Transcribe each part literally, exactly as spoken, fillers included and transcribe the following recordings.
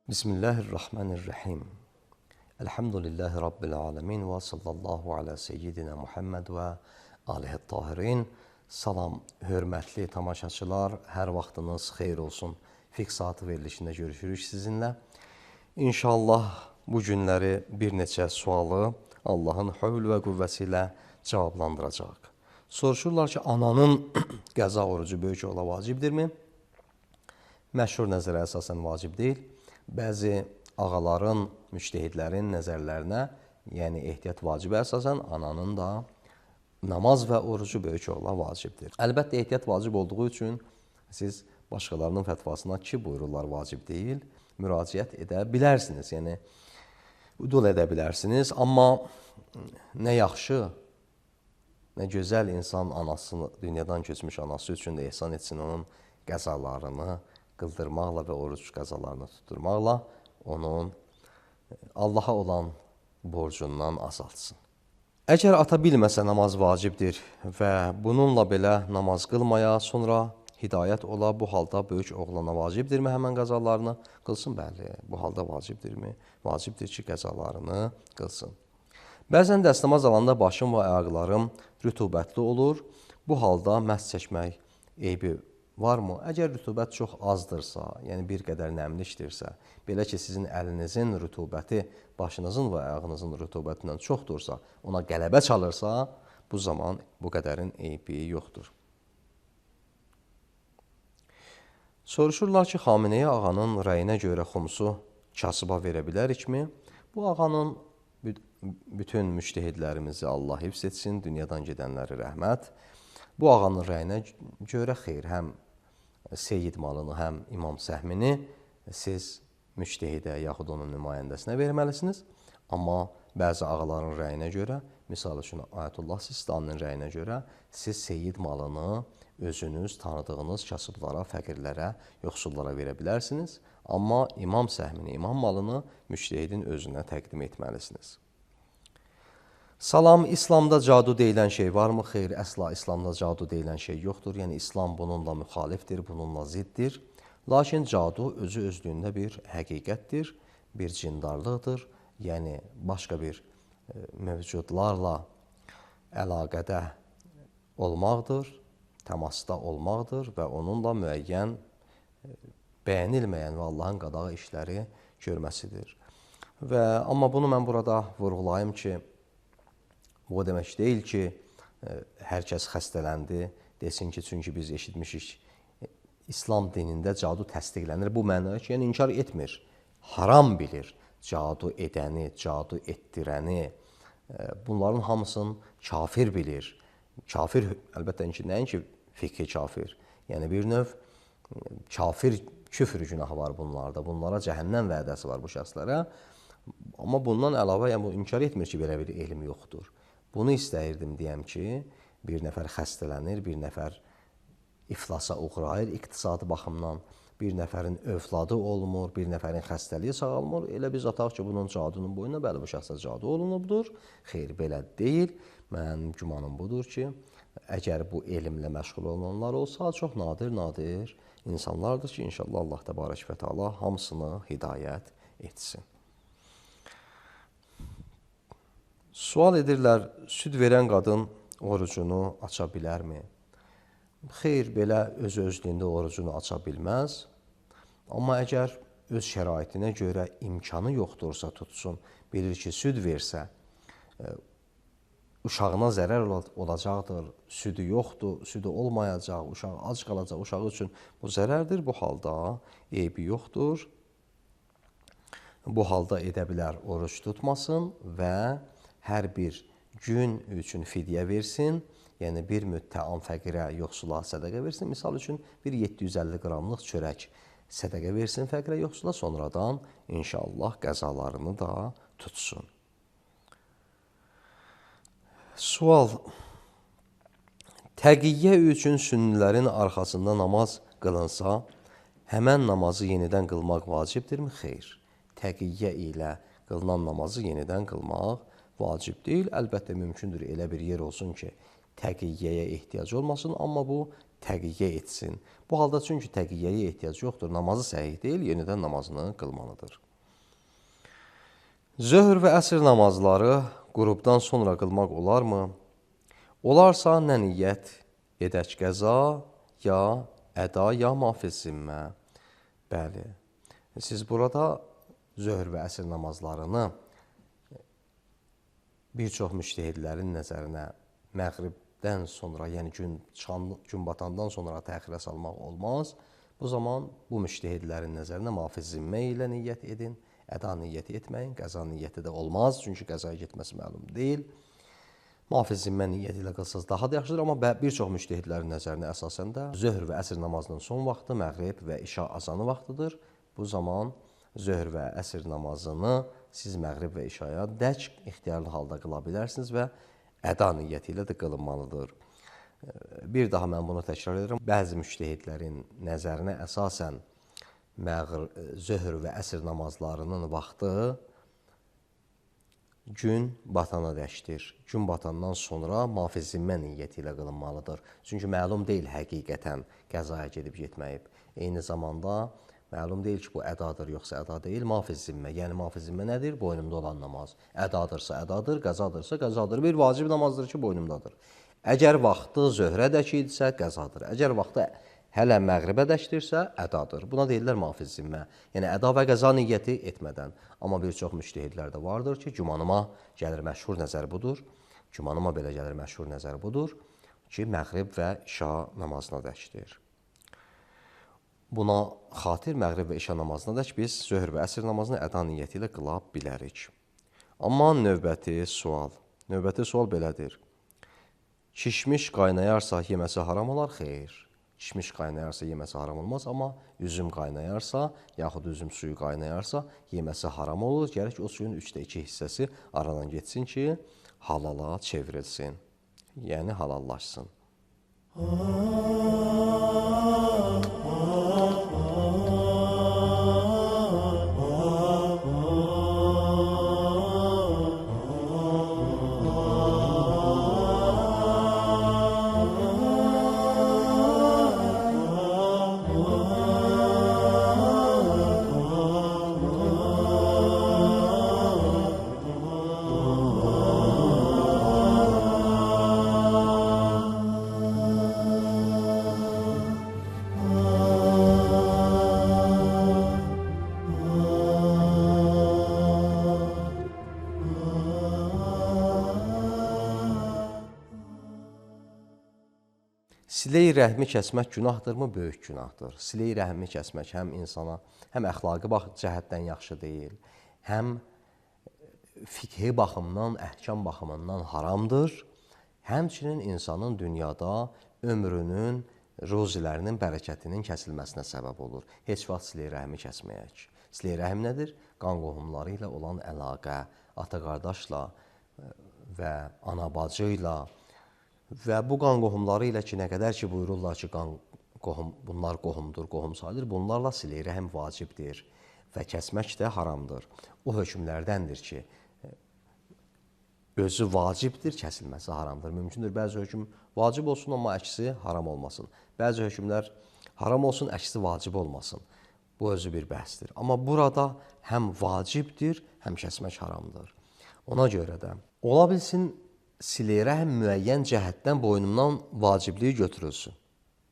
Bismillahirrahmanirrahim. Elhamdülillahi Rabbil alemin ve sallallahu ala seyyidina Muhammed ve alihi tahirin. Salam, hörmətli tamaşaçılar, hər vaxtınız xeyir olsun. Fiqh saatı verilişində görüşürük sizinlə. İnşallah bu günləri bir neçə sualı Allahın hövl və qüvvəsi ilə cavablandıracaq. Soruşurlar ki, ananın qəza orucu böyük ola vacibdirmi? Məşhur nəzərə əsasən vacib deyil. Bəzi ağaların, müctəhidlərin nəzərlərinə, yəni ehtiyat vacibə əsasən ananın da namaz və orucu böyük ola vacibdir. Əlbəttə, ehtiyat vacib olduğu üçün siz başqalarının fətvasına ki, buyururlar vacib deyil, müraciət edə bilərsiniz. Yəni, udul edə bilərsiniz. Amma nə yaxşı, nə gözəl insan anasını, dünyadan keçmiş anası üçün də ehsan etsin onun qəzalarını qıldırmaqla və oruc qəzalarını tutturmaqla onun Allaha olan borcundan azaltsın. Əgər ata bilməsə namaz vacibdir və bununla belə namaz qılmaya, sonra hidayət ola, bu halda böyük oğlana vacibdirmi həmən qəzalarını qılsın? Bəli, bu halda vacibdirmi? Vacibdir ki, qəzalarını qılsın. Bəzən dəstəmaz alanda başım və ayaqlarım rütubətli olur. Bu halda məhz çəkmək eybi varmı? Əgər rütubət çox azdırsa, yəni bir qədər nəmlikdirsə, belə ki, sizin əlinizin rütubəti başınızın və ayağınızın rütubətindən çoxdursa, ona qələbə çalırsa, bu zaman bu qədərin eybi yoxdur. Soruşurlar ki, Xameneyi ağanın rəyinə görə xumsu kasıba verə bilərikmi? Bu ağanın bütün müctəhidlərimizi Allah hifz etsin, dünyadan gedənləri rəhmət. Bu ağanın rəyinə görə xeyr, həm Seyyid malını, həm İmam Səhmini siz müctehidə yaxud onun nümayəndəsinə verməlisiniz. Amma bəzi ağaların rəyinə görə, misal üçün Ayətullah Sistaninin rəyinə görə siz Seyyid malını özünüz tanıdığınız kasıblara, fəqirlərə, yoxsullara verə bilərsiniz. Amma İmam Səhmini, imam malını müctehidin özünə təqdim etməlisiniz. Salam, İslamda cadu deyilən şey varmı? Xeyr, əsla İslamda cadu deyilən şey yoxdur. Yəni, İslam bununla müxalifdir, bununla ziddir. Lakin cadu özü özlüyündə bir həqiqətdir, bir cindarlıqdır. Yəni, başqa bir e, mövcudlarla əlaqədə olmaqdır, təmasda olmaqdır və onunla müəyyən, e, bəyənilməyən və Allahın qadağı işləri görməsidir. Və, amma bunu mən burada vurğulayım ki, bu o demək deyil ki, hər kəs xəstələndi, desin ki, çünki biz eşitmişik, İslam dinində cadu təsdiqlənir. Bu mənada ki, yəni inkar etmir, haram bilir cadu edəni, cadu etdirəni. Bunların hamısını kafir bilir. Kafir, əlbəttə ki, nəinki fikri kafir. Yəni bir növ kafir, küfr günahı var bunlarda. Bunlara cəhənnəm vədəsi var bu şəxslərə. Amma bundan əlavə, yəni bu inkar etmir ki, belə bir elm yoxdur. Bunu istəyirdim deyəm ki, bir nəfər xəstələnir, bir nəfər iflasa uğrayır iqtisadi baxımdan, bir nəfərin övladı olmur, bir nəfərin xəstəliyi sağalmır. Elə biz ataq ki, bunun cadunun boyuna, bəli, bu şəxsə cadu olunubdur. Xeyr, belə deyil. Mənim gümanım budur ki, əgər bu elmlə məşğul olanlar olsa, çox nadir-nadir insanlardır ki, inşallah Allah təbarək və təala hamısını hidayət etsin. Sual edirlər, süd verən qadın orucunu aça bilərmi? Xeyr, belə öz-özlüyündə orucunu aça bilməz. Amma əgər öz şəraitinə görə imkanı yoxdursa tutsun, bilir ki, süd versə, uşağına zərər olacaqdır, südü yoxdur, südü olmayacaq, uşaq ac qalacaq, uşağı üçün bu zərərdir. Bu halda eybi yoxdur. Bu halda edə bilər, oruc tutmasın və hər bir gün üçün fidyə versin, yəni bir müttəam fəqirə, yoxsula sədəqə versin. Misal üçün, bir yeddi yüz əlli qramlıq çörək sədəqə versin fəqirə, yoxsula, sonradan inşallah qəzalarını da tutsun. Sual, təqiyyə üçün sünnilərin arxasında namaz qılınsa, həmən namazı yenidən qılmaq vacibdirmi? Xeyr, təqiyyə ilə qılınan namazı yenidən qılmaq vacib deyil. Əlbəttə, mümkündür elə bir yer olsun ki, təqiyyəyə ehtiyac olmasın, amma bu təqiyyə etsin. Bu halda çünki təqiyyəyə ehtiyac yoxdur, namazı səhih deyil, yenidən namazını qılmalıdır. Zöhr və əsr namazları qrubdan sonra qılmaq olarmı? Olarsa nə niyyət edək qəza, ya əda, ya mafiz zimmə. Bəli, siz burada zöhr və əsr namazlarını bir çox müştəhidlərin nəzərinə məğribdən sonra, yəni gün, çıxan, gün batandan sonra təxirə salmaq olmaz. Bu zaman bu müştəhidlərin nəzərinə mafiz zimmə ilə niyyət edin, əda niyyəti etməyin, qəza niyyəti də olmaz, çünki qəzaya getməsi məlum deyil. Mafiz zimmə niyyəti ilə qılsaz daha da yaxşıdır, amma bir çox müştəhidlərin nəzərinə əsasən də zöhr və əsr namazının son vaxtı məğrib və işa azanı vaxtıdır. Bu zaman zöhr və əsr namazını siz məğrib və işaya dək ixtiyarlı halda qıla bilərsiniz və əda niyyəti ilə də qılınmalıdır. Bir daha mən bunu təkrar edirəm. Bəzi müştəhidlərin nəzərinə əsasən zöhr və əsr namazlarının vaxtı gün batana dəkdir. Gün batandan sonra mafiz zimmə niyyəti ilə qılınmalıdır. Çünki məlum deyil həqiqətən qəzaya gedib getməyib. Eyni zamanda məlum deyil ki, bu ədadır, yoxsa əda deyil, mafiz zimmə. Yəni, mafiz zimmə nədir? Boynumda olan namaz. Ədadırsa ədadır, qəzadırsa qəzadır. Bir vacib namazdır ki, boynumdadır. Əgər vaxtı zöhrədək idisə, qəzadır. Əgər vaxtı hələ məğribədəkdirsə, ədadır. Buna deyirlər mafiz zimmə. Yəni, əda və qəza niyyəti etmədən. Amma bir çox müştəhidlər də vardır ki, gümanıma gəlir məşhur nəzər budur. Gümanıma belə gəlir məşhur nəzər budur ki, məğrib və işa namazına dəkdir. Buna xatir məğrib və işa namazına dək biz zöhr və əsr namazını əda niyyəti ilə qıla bilərik. Amma növbəti sual. Növbəti sual belədir. Kişmiş qaynayarsa yeməsi haram olar? Xeyr. Kişmiş qaynayarsa yeməsi haram olmaz, amma üzüm qaynayarsa, yaxud üzüm suyu qaynayarsa yeməsi haram olur. Gərək o suyun üçdə iki hissəsi aradan getsin ki, halala çevrilsin. Yəni halallaşsın. Silə-i rəhmi kəsmək günahdırmı? Böyük günahdır. Silə-i rəhmi kəsmək həm insana, həm əxlaqi cəhətdən yaxşı deyil, həm fiqhi baxımdan, əhkam baxımından haramdır. Həmçinin insanın dünyada ömrünün, ruzilərinin bərəkətinin kəsilməsinə səbəb olur. Heç vaxt silə-i rəhmi kəsməyək. Silə-i rəhim nədir? Qan qohumları ilə olan əlaqə, ata-qardaşla və ana-bacı ilə və bu qan qohumları ilə ki, nə qədər ki, buyururlar ki, qan qohum, bunlar qohumdur, qohum sayılır, bunlarla silə-i rəhim vacibdir və kəsmək də haramdır. O hökmlərdəndir ki, özü vacibdir, kəsilməsi haramdır. Mümkündür, bəzi hökm vacib olsun, amma əksi haram olmasın. Bəzi hökmlər haram olsun, əksi vacib olmasın. Bu özü bir bəhsdir. Amma burada həm vacibdir, həm kəsmək haramdır. Ona görə də ola bilsin, silə-i rəhm müəyyən cəhətdən boynumdan vacibliyi götürülsün.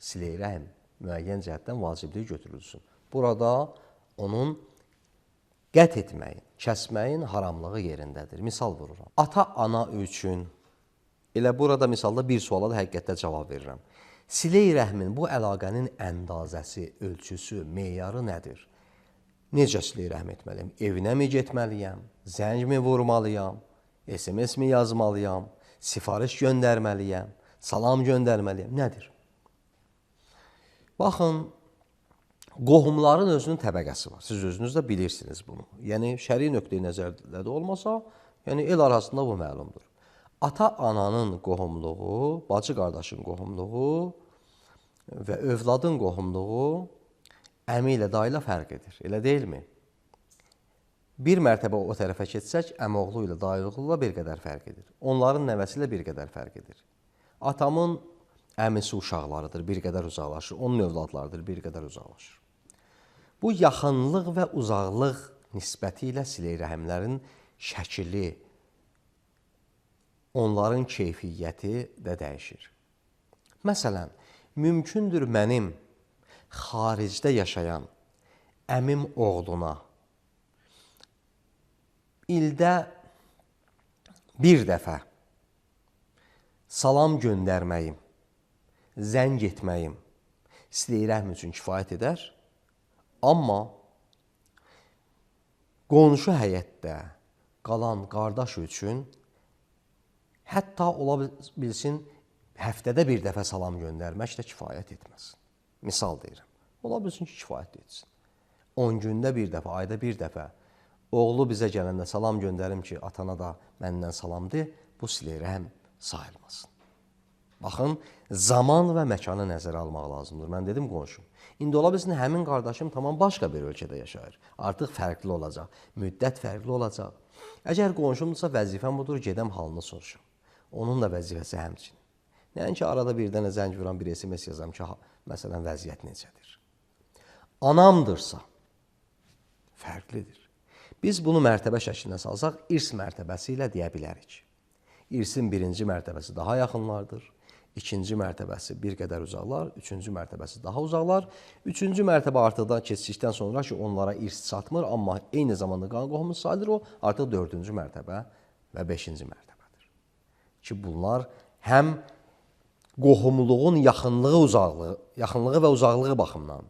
Silə-i rəhm müəyyən cəhətdən vacibliyi götürülsün. Burada onun qət etməyin, kəsməyin haramlığı yerindədir. Misal vururam. Ata-ana üçün, elə burada misalda bir suala da həqiqətdə cavab verirəm. Silə-i rəhmin bu əlaqənin əndazəsi, ölçüsü, meyarı nədir? Necə silə-i rəhm etməliyəm? Evinə mi getməliyəm? Zəng mi vurmalıyam? S M S mi yazmalıyam? Sifariş göndərməliyəm? Salam göndərməliyəm? Nədir? Baxın, qohumların özünün təbəqəsi var. Siz özünüz də bilirsiniz bunu. Yəni, şəri nöqteyi nəzərdə də olmasa, yəni el arasında bu məlumdur. Ata-ananın qohumluğu, bacı-qardaşın qohumluğu və övladın qohumluğu əmi ilə, dayı ilə fərq edir. Elə deyilmi? Bir mərtəbə o tərəfə keçsək, əmoğlu ilə, dayılığı ilə bir qədər fərq edir. Onların nəvəsi ilə bir qədər fərq edir. Atamın əmisi uşaqlarıdır, bir qədər uzaqlaşır. Onun övladlarıdır, bir qədər uzaqlaşır. Bu yaxınlıq və uzaqlıq nisbəti ilə silək rəhimlərin şəkili, onların keyfiyyəti də dəyişir. Məsələn, mümkündür mənim xaricdə yaşayan əmim oğluna ildə bir dəfə salam göndərməyim, zəng etməyim silək rəhm üçün kifayət edər. Amma qonşu həyətdə qalan qardaş üçün hətta ola bilsin həftədə bir dəfə salam göndərmək də kifayət etməz. Misal deyirəm. Ola bilsin ki, kifayət etsin. on gündə bir dəfə, ayda bir dəfə oğlu bizə gələndə salam göndərim ki, atana da məndən salam de, bu silək rəhm sayılmasın. Baxın, zaman və məkanı nəzərə almaq lazımdır. Mən dedim qonşum. İndi ola bilsin həmin qardaşım tamam başqa bir ölkədə yaşayır. Artıq fərqli olacaq, müddət fərqli olacaq. Əgər qonşumdursa vəzifəm budur, gedəm halını soruşum. Onun da vəzifəsi həmçinin. Nəinki arada bir dənə zəng vuran bir S M S yazam ki, məsələn, vəziyyət necədir. Anamdırsa, fərqlidir. Biz bunu mərtəbə şəklində salsaq, irs mərtəbəsi ilə deyə bilərik. İrsin birinci mərtəbəsi daha yaxınlardır. İkinci mərtəbəsi bir qədər uzaqlar, üçüncü mərtəbəsi daha uzaqlar. Üçüncü mərtəbə artıqdan keçdikdən sonra ki, onlara irs çatmır, amma eyni zamanda qan qohumu sayılır, o artıq dördüncü mərtəbə və beşinci mərtəbədir. Ki, bunlar həm qohumluğun yaxınlığı, uzaqlığı, yaxınlığı və uzaqlığı baxımından,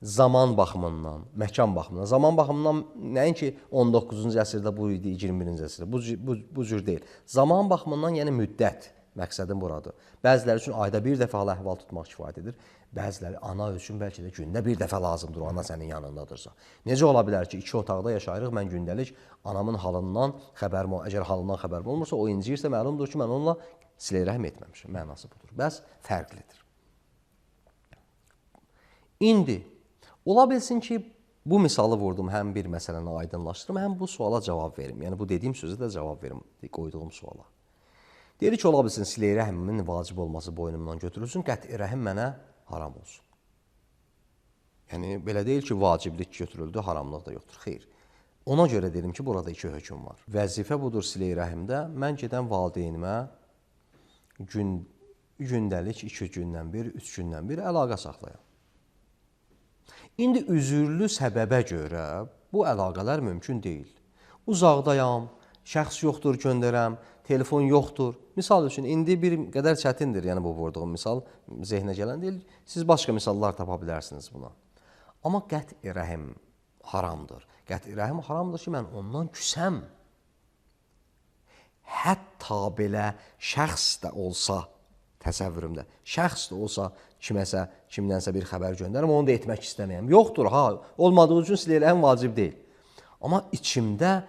zaman baxımından, məkan baxımından, zaman baxımından nəinki on doqquzuncu əsrdə bu idi, iyirmi birinci əsrdə, bu, bu, bu cür deyil. Zaman baxımından, yəni müddət, məqsədim buradır. Bəziləri üçün ayda bir dəfə hal əhval tutmaq kifayət edir. Bəziləri ana üçün bəlkə də gündə bir dəfə lazımdır, o ana sənin yanındadırsa. Necə ola bilər ki, iki otaqda yaşayırıq, mən gündəlik anamın halından xəbərim olmur. Əgər halından xəbərim olmursa, o inciyirsə, məlumdur ki, mən onunla silək rəhm etməmişəm. Mənası budur. Bəs fərqlidir. İndi, ola bilsin ki, bu misalı vurdum, həm bir məsələni aydınlaşdırım, həm bu suala cavab verim. Yəni, bu dediyim sözə də cavab verim, qoyduğum suala. Deyir ki, ola bilsin, silək rəhmimin vacib olması boynumdan götürülsün, qəti rəhim mənə haram olsun. Yəni, belə deyil ki, vaciblik götürüldü, haramlıq da yoxdur. Xeyr. Ona görə dedim ki, burada iki hökm var. Vəzifə budur silək rəhimdə, mən gedən valideynimə gün, gündəlik iki gündən bir, üç gündən bir əlaqə saxlayam. İndi üzürlü səbəbə görə bu əlaqələr mümkün deyil. Uzaqdayam, şəxs yoxdur, göndərəm, telefon yoxdur. Misal üçün, indi bir qədər çətindir, yəni bu vurduğum misal zehnə gələn deyil. Siz başqa misallar tapa bilərsiniz buna. Amma qəti rəhim haramdır. Qəti rəhim haramdır ki, mən ondan küsəm. Hətta belə şəxs də olsa, təsəvvürümdə, şəxs də olsa kiməsə, kimdənsə bir xəbər göndərim, onu da etmək istəməyəm. Yoxdur, ha, olmadığı üçün silək rəhim vacib deyil. Amma içimdə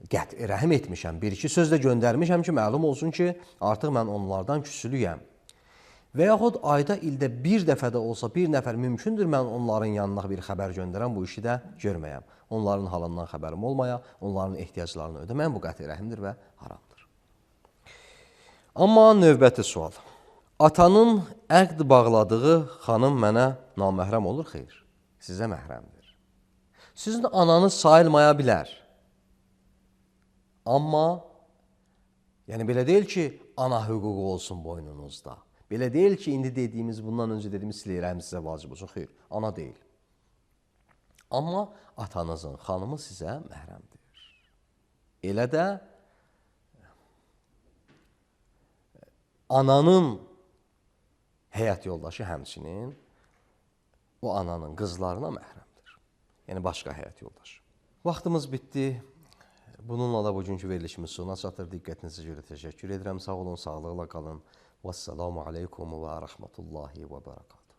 qəti rəhim etmişəm, bir-iki söz də göndərmişəm ki, məlum olsun ki, artıq mən onlardan küsülüyəm. Və yaxud ayda, ildə bir dəfə də olsa, bir nəfər mümkündür, mən onların yanına bir xəbər göndərəm, bu işi də görməyəm. Onların halından xəbərim olmaya, onların ehtiyaclarını ödəməyəm, bu qəti rəhimdir və haramdır. Amma növbəti sual. Atanın əqd bağladığı xanım mənə naməhrəm olur, xeyr, sizə məhrəmdir. Sizin ananız sayılmaya bilər. Amma, yəni belə deyil ki, ana hüququ olsun boynunuzda. Belə deyil ki, indi dediyimiz, bundan öncə dediyimiz silək rəhm sizə vacib olsun. Xeyr, ana deyil. Amma atanızın xanımı sizə məhrəmdir. Elə də ananın həyat yoldaşı həmçinin o ananın qızlarına məhrəmdir. Yəni başqa həyat yoldaşı. Vaxtımız bitdi. Bununla da bugünkü verilişimiz sona çatır. Diqqətinizə görə təşəkkür edirəm. Sağ olun, sağlıqla qalın. Vəssalamu aleykum və rəhmətullahi və bərəkatuhu.